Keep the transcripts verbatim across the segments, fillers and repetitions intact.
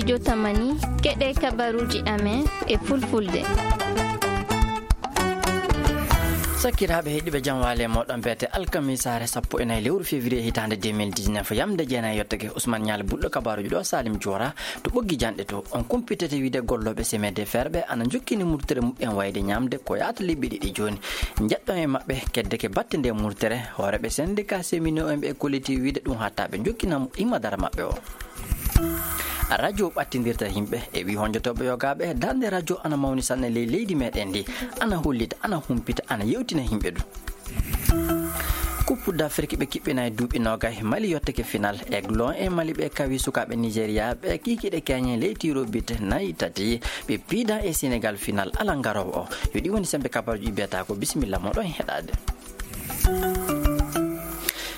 Jotamani, keɗe kabaruuji amen e fulfulde. Sakkiraaɓe heɗiiɓe, jam waale moɗon beete alkamisaare sappo e nayi lewru février hitaande deux mille dix-neuf. Yamde jeenayi yottake Ousmane Ñaali Bulɗo, kabaaruuji ɗo Salim Joora to ɓoggi janɗe to. On kumpitete wiide gollooɓe semaine de fer ɓe ana njokkini murtere muɓɓen wayde ñaamde ko yaata lebbi ɗiɗi jooni. Njeɗɗon e maɓɓe kedde ke batte nde murtere, hooreeɓe syndicat seminoo en ɓe kolliti wiide ɗum hatta ɓe njokkina imma dara maɓɓe o. Radio ɓattindirta yimɓe e wi honjotooɓe yogaaɓe, darnde radio ana mawni sanne ley leydi meɗen ndi, ana hollita, ana humpita, ana yewtina yimɓe du. Coupe d'Afrique ɓe kiɓɓina e duuɓi nogay, Mali yottake final, Aiglon e Mali ɓe kawi sukaaɓe Nigeria ɓe kikiɗe keñe ley tiro bit nayi tati, ɓe piida e Sénégal final ala ngarowo o. Yo ɗi woni sembe kabaruji biyata ko bisimilla moɗon heɗade.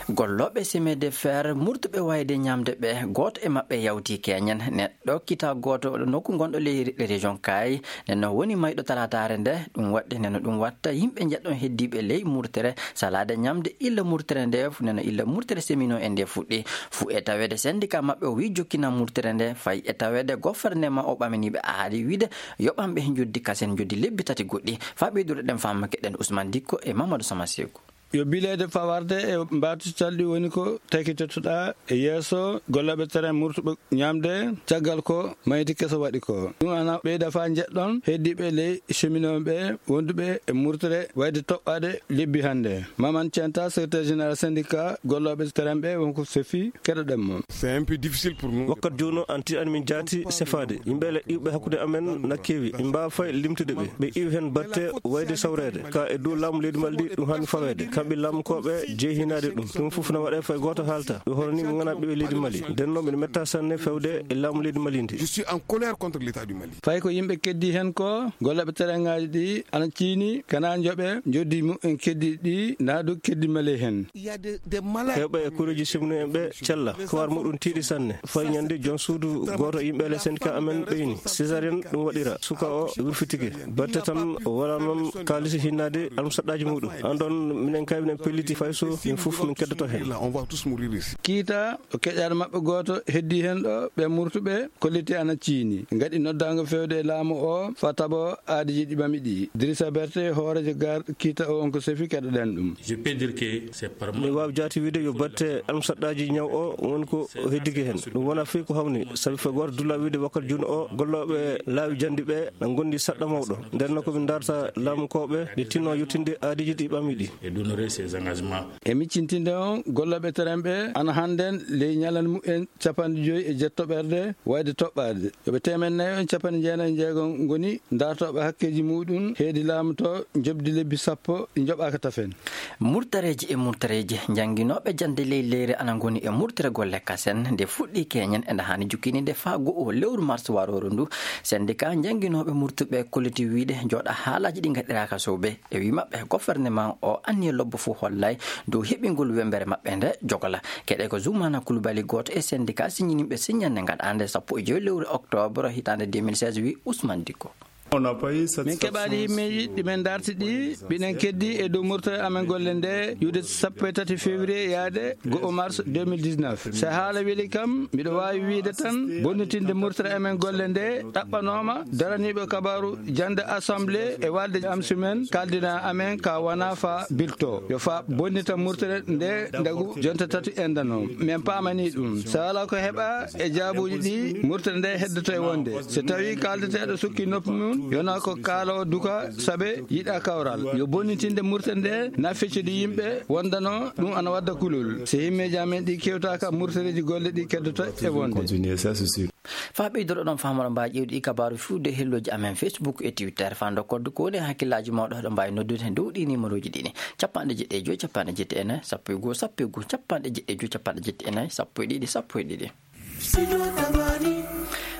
Gollooɓe semaine de fer murtuɓe wayde ñamde ɓe, gooto e maɓɓe yawti keñen. Neɗɗo kita gooto nokku gonɗo ley région Kaay, neno woni mayɗo talataare nde. Ɗum waɗde neno ɗum watta yimɓe njeɗɗon heddiiɓe ley murtere salaade ñamde illa murtere nde, neno illa murtere seminoo e nde fuɗɗi. Fu e taweede syndicat maɓɓe o wi jokkina murtere nde, fay e taweede gouvernement o ɓaminiiɓe aadi wiide yoɓanɓe njoddi kasen njoddi lebbi tati goɗɗi. Faa ɓeydude ɗen faamake ɗen Ousmane Dikko e Mamadou Samaseeku. Yo bileede fawarde e mbaatu calɗi woni ko takitotoɗaa e yeeso gollooɓe terrain murtuɓe ñamde, caggal ko mayti keso waɗi ko. Ɗum ana ɓeyda faa njeɗɗon heddiiɓe ley cheminooɓe wonduɓe e murtere wayde toɓɓaade lebbi hannde. Maman Centa, secrétaire général syndicat gollooɓe terrain ɓe wonko sefi, keɗoɗen mo. C'est un peu difficile pour nous. Wakkat jooni o, an tiiɗani min jaati sefaade. Yimɓe le iwɓe hakkunde amen na keewi. Min mbaawa fay limtude ɓe. Ɓe iwi heen batte wayde sawreede. Ka e dow laamu leydi Mali ɗum haani faweede. Kamɓe laamukooɓe jeehinaade ɗum. Ɗum fof na waɗee fay gooto haalta. Ɓe hono ni ɓe nganaa ɓiɓɓe leydi Mali. Nden noon mbiɗa metta sanne fewde e laamu leydi Mali ndi. Je suis en colère contre l'État du Mali. Fay ko yimɓe keddi heen ko, gollooɓe terrainŋaaji ɗi ana ciini, kana njoɓe, njoddi mumen keddi ɗi, naa du keddi Mali heen. Il y a des, des malades. Heewɓe e kureeji simno en ɓe cella, kowar muɗum tiiɗi sanne. Fay ñande joom suudu gooto yimɓe le syndicat amen ɓeyni. Césarienne ɗum waɗira. Suka o wirfitike. Batte tan wala noon kaalisi hinnaade almusaɗɗaaji muɗum. An ɗon minen kay minen pelliti fay so min fof min keddoto heen. Là, on va tous mourir ici. Kiita o keƴaɗo maɓɓe gooto heddi heen ɗo, ɓe murtuɓe kolliti ana ciini. Ngaɗi noddaango fewde e laamu o faa taɓo aadiiji ɗi ɓami ɗi. Idrissa Berté, hooreejo gar kiita o, on ko sefi, keɗoɗen ɗum. Je peux dire que c'est par. Mi waawi jaati wiide yo batte almusaɗɗaaji ñaw o woni ko heddike heen. Ɗum wona fii ko hawni, sabi fay gooto dulla wiide wakkati juuno o gollooɓe laawi janndi ɓe na ngondi saɗɗa mawɗo. Nden noon ko min darta laamukooɓe nde tinno yettinde aadiiji ɗi ɓami ɗi. Et d'honorer ses engagements. E miccintinde on, gollooɓe terrain ɓe ana hannden ley ñalande mumen capanɗe joyi e jeetto ɓerde wayde toɓɓaade. Yo ɓe teemeɗɗe nayi on capanɗe jeenayi e jeego ngoni dartooɓe hakkeeji muɗum heedi laamu to njoɓdi lebbi sappo ɗi njoɓaaka tafen. Murtareeji e murtareeji, njannginooɓe jannde ley leyre ana ngoni e murtere golle kasen. Nde fuɗɗi keñen, ene haani jukkininde faa go'o lewru mars warooru ndu. Syndicat njannginooɓe murtuɓe kolliti wiide jooɗa haalaaji ɗi ngaɗiraaka soobe. E wi maɓɓe, gouvernement o anniya lobbo fof hollay dow heɓingol wembere maɓɓe nde jogola. Keɗe ko Zoumana Coulibaly, gooto e syndicat siññininɓe siññannde ngaɗaande sappo e joyi lewru octobre hitaande deux mille seize, wi Ousmane Dicko. Min keɓaali himmeeji ɗi min darti ɗi, mbiɗen keddi e dow murtere amen golle nde, yude sappo e tati février yaade go'o mars deux mille dix-neuf. So haala weli kam, mbiɗo waawi wiide tan, bonnitinde murtere amen golle nde ɗaɓɓanooma daraniiɓe kabaaru jannde assemblée e walde am sumen, kaldina amen ka wona fa bilto. Yo fa bonnita murtere nde ndagu jonta tati endano. Min paamani ɗum. So alaa ko heɓa e jaabuuji ɗi, murtere nde heddoto e wonde. So tawi kaldeteeɗo sukki noppi mum, yona ko kaalo duka sabe yiɗa kawral. Yo bonnitinde murtere nde na feccidi yimɓe wondano ɗum ana wadda kulol. So himmeeji amen ɗi kewtaka, murtereeji golle ɗi keddoto e wonde. Continuer, ça, c'est sûr. Faa ɓeydoro ɗon faamuɗo mbaa ƴeewɗi kabaaru fiwde hellooji amen Facebook e Twitter. Faa ndokkorde ko woni e hakkillaaji mooɗo, hoɗo mbaawi noddude dow ɗi numéroji ɗiɗi. Capanɗe jeɗɗi e joy, capanɗe jeɗɗi e nayi, sappo e goo, sappo e goo, capanɗe jeɗɗi e joy, capanɗe jeɗɗi e nayi, sappo e ɗiɗi, sappo e ɗiɗi.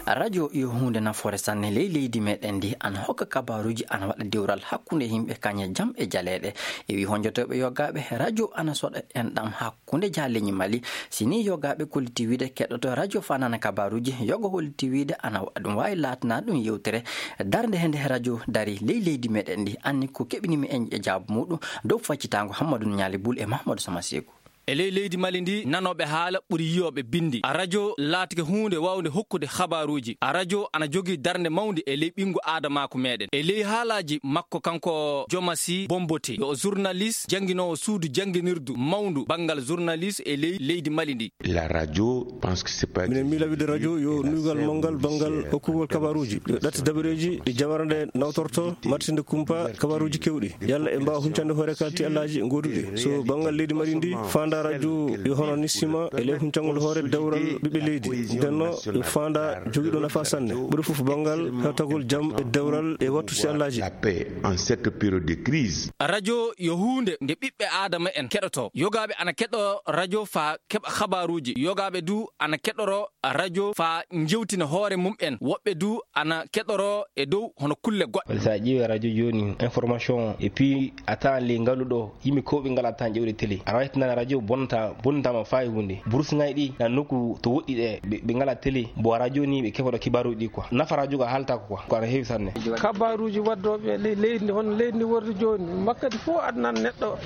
Radio yo huunde nafoore sanne ley leydi meɗen ndi, ana hokka kabaaruuji, ana waɗa dewral hakkunde yimɓe kañe jam e jaleeɗe. E wi honjotooɓe yogaaɓe, radio ana soɗa enɗam hakkunde jaleñi Mali. Si ni yogaaɓe kolliti wiide keɗoto radio faa nana kabaaruuji, yogo holliti wiide ana wa-, ɗum waawi laatana ɗum yewtere darnde hende radio dari ley leydi meɗen ndi. Anni ko keɓinimi en e jaabu muɗum dow faccitaango Hammadou Ñaali Bul e Mahamadou Sama Seeku. E ley leydi Mali ndi, nanooɓe haala ɓuri yiyooɓe binndi. A radio laatike huunde waawnde hokkude habaaruuji. A radio ana jogii darnde mawnde e ley ɓinngu aadamaaku meɗen. E ley haalaaji makko kanko Jomasi Bombote, yo journaliste jannginoowo suudu jannginirdu mawndu banngal journaliste e ley leydi Mali ndi. La radio, pense que c'est pas minen miila wiide radio yo nuygal manngal banngal hokkugol kabaaruuji, yo ɗatti dabareeji ɗi jamara nde nawtorto, matsinde kumpa kabaaruuji kewɗi. Yalla e mbaawa huncande hoore kalti allaaji gooduɗi. So banngal leydi Mali ndi, faanda radio yo hono ni sima e ley huncangol hoore dawral ɓiɓɓe leydi. Ndenno yo faanda jogiiɗo nafa sanne. Ɓuri fof banngal hettagol jam e dawral e wattu si allaaji. La paix en cette période de crise. Radio yo huunde nde ɓiɓɓe aadama en keɗoto. Yogaaɓe ana keɗo radio faa keɓa habaaruuji. Yogaaɓe du ana keɗoro radio faa njewtina hoore mum en. Woɓɓe du ana keɗoro e dow hono kulle goɗɗe. Wala so a ƴeewi radio jooni, information et puis a tawan ley ngalu ɗo, yimɓe kewɓe ngalaa tan ƴeewde télé. Aɗa waawi nana radio bonnata, bonnataama faa e huunde. Burusŋaaji ɗi na nokku to woɗɗi ɗe, ɓe, ɓe ngalaa télé. Mbo radio ni ɓe keɓoto kibaaruuji ɗi quoi. Nafa radio ko a haaltaako quoi. Ko ana heewi sanne. Kabaaruuji waddooɓe ley leydi ndi, hono leydi ndi wordi jooni. Wakkati fof aɗa nana neɗɗo,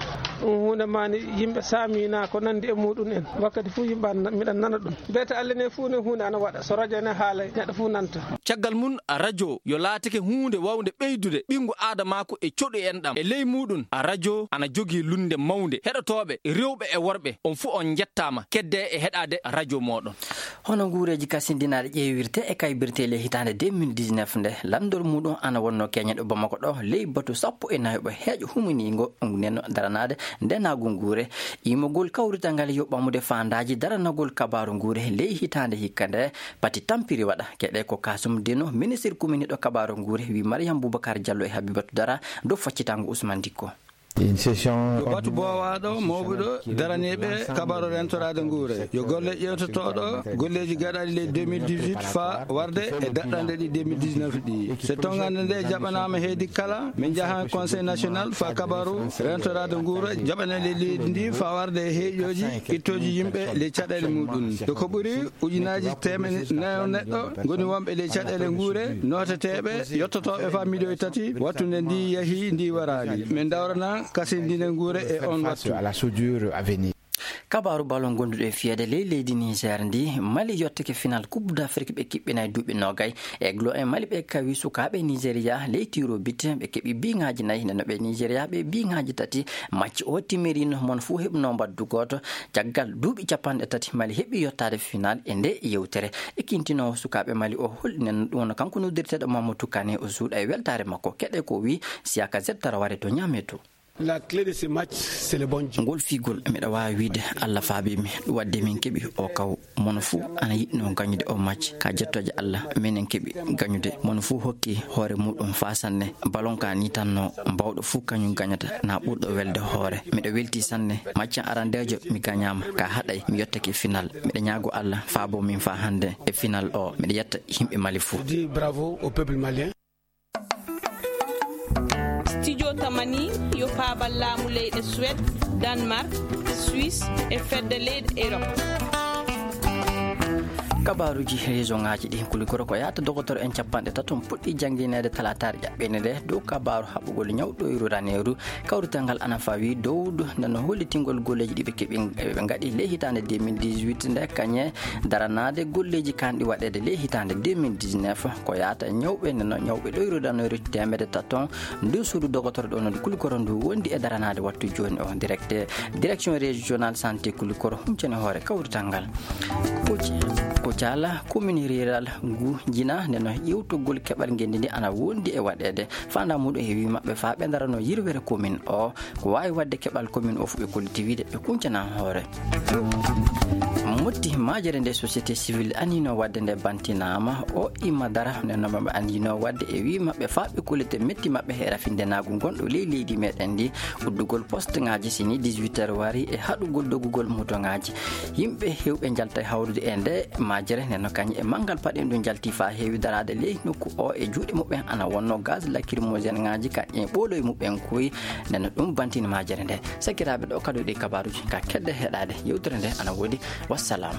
ɗum huunde maa ni yimɓe saamina ko nanndi e muɗum en. Wakkati fof yimɓe ana, miɗa nana ɗum. Mbiyata Allah ne fof ne huunde ana waɗa. So radio ne haala, neɗɗo fof nanta. Caggal mum, radio yo laatike huunde waawnde ɓeydude ɓinngu aadamaaku e coɗu en ɗam. E ley muɗum, radio ana jogii lunnde mawnde. Heɗotooɓe, rewɓe e worɓe, on fof on njettaama. Keddee e heɗaade radio mooɗon. Hono nguureeji kasindinaaɗi ƴeewirtee e kaybirtee ley hitaande deux mille dix-neuf nde, lanndol muɗum ana wonnoo keñeɗo Bamako ɗo, ley batu sappo e nayo ɓo heeƴo huminiingo nden daranaade ndenaagu nguure. Iimogol kawrital ngal yo ɓamude faandaaji daranagol kabaaru nguure ley hitaande hikka nde, pati tampiri waɗa. Keɗee ko Kasum Deno, ministir kuminiiɗo kabaaru nguure, wi Mariam Boubacar Diallo e Habibatu Dara dow faccitango Ousmane Dikko. Une session Ko batu boowaaɗo mawɓuɗo daraniiɓe kabaaru rentoraade nguure. Yo golle ƴeewtotooɗo golleeji gaɗaaɗi ley deux mille dix-huit faa warde e daɗɗanɗe ɗi deux mille dix-neuf ɗi. So tonngande nde jaɓanaama heedi kala, min njahan Conseil national faa kabaaru rentoraade nguure jaɓanee ley leydi ndi faa warde e heeƴooji ittooji yimɓe ley caɗeele muɗum. Yo ko ɓuri ujunaaji teemedde nayo neɗɗo ngoni wonɓe ley caɗeele nguure, nooteteeɓe, yottotooɓe faa miliyoŋ tati, wattu nde ndi yahi, ndi waraali. Min dawrana kasindine nguure e on wattu. À la soudure à venir. Kabaaru balon gonduɗo e fiyeede ley leydi Niger ndi, Mali yottake final Coupe d'Afrique ɓe kiɓɓinay duuɓi noogay. Eglo e Mali ɓe kawi sukaaɓe Nigeria ley tiro bit, ɓe keɓi biŋaaji nayi, nde no ɓe Nigeria ɓe biŋaaji tati. Macci o timirino, mon fuu heɓno mbaddu gooto. Caggal duuɓi capanɗe tati, Mali heɓi yottaade final e nde yewtere. E kintinoowo sukaaɓe Mali o, holɗinen ɗum, wonno kanko noddirteeɗo Mamadou Kane, o suuɗa e weltaare makko. Keɗe ko wi Siaka Zettara ware to Niamey to. La clé de ce match, c'est le bon jeu. Ngol figol, miɗa waawi wiide, Allah faabii mi, ɗum waɗde min keɓi o kaw. Mono fuu ana yiɗno gañude o match. Ka jettooje Allah, minen keɓi gañude. Mono fuu hokki hoore muɗum faa sanne. Ballon ka ni tan no, baawɗo fuu kañum gañata, na ɓurɗo welde hoore. Miɗo welti sanne. Match arandeejo mi gañaama, ka haɗay mi yottake final. Miɗo ñaago Allah faabo min faa hannde e final o. Miɗo yetta yimɓe Mali fuu. Je dis bravo au peuple malien. Studio Tamani yo paabal laamu leyɗe Suède, Danemark, Suisse e fedde leyɗe Europe. Kabaaruuji région ŋaaji ɗi, Kulikoro ko yahata dogotor en capanɗe tato puɗɗi janngineede talaataare ƴaɓɓeende nde dow kabaaru haɓugol ñawɗoyru raneeru. Kawrital ngal ana fawi dow nde no hollitingol golleeji ɗi ɓe keɓi, ɓe ngaɗi ley hitaande deux mille dix-huit nde, kañe daranaade golleeji kanɗi waɗeede ley hitaande deux mille dix-neuf. Ko yahata ñawɓe nde no ñawɓe ɗoyru danoyru teemedde taton ndu suudu dogotoro ɗo no Kulikoro ndu wondi e daranaade wattu jooni o. Directeur, direction régionale santé Kulikoro huncani hoore kawrital ngal. Ko ci-, ko caala commune rurale ngu Jina nde no ƴewtogol keɓal ngenndi ndi ana wondi e waɗeede. Faandaa muɗum e wii maɓɓe faa ɓe ndarano yirwere commune o. Ko waawi waɗde keɓal commune o fof ɓe kolliti wiide ɓe kuncana hoore. Motti majere nde société civile anino waɗde nde bantinaama o imma dara nde no maɓɓe anino waɗde e wii maɓɓe faa ɓe kollite metti maɓɓe e rafinde naagu ngonɗo ley leydi meɗen ndi. Uddugol poste ŋaaji sini dix-huit heures wari e haɗugol dogugol moto ŋaaji. Yimɓe hewɓe njalta e hawrude e nde majere nde no kañum e manngal paɗe ndu njalti faa heewi daraade ley nokku o e juuɗe muɓɓen ana wonno gaz lacrymogène ŋaaji ka e ɓooloy muɓɓen koy. Nde no ɗum bantini majere nde. Sakiraaɓe, ɗo kadi ɗi kabaaruuji ka kedde heɗaade. Yewtere nde ana woodi. Wassalam.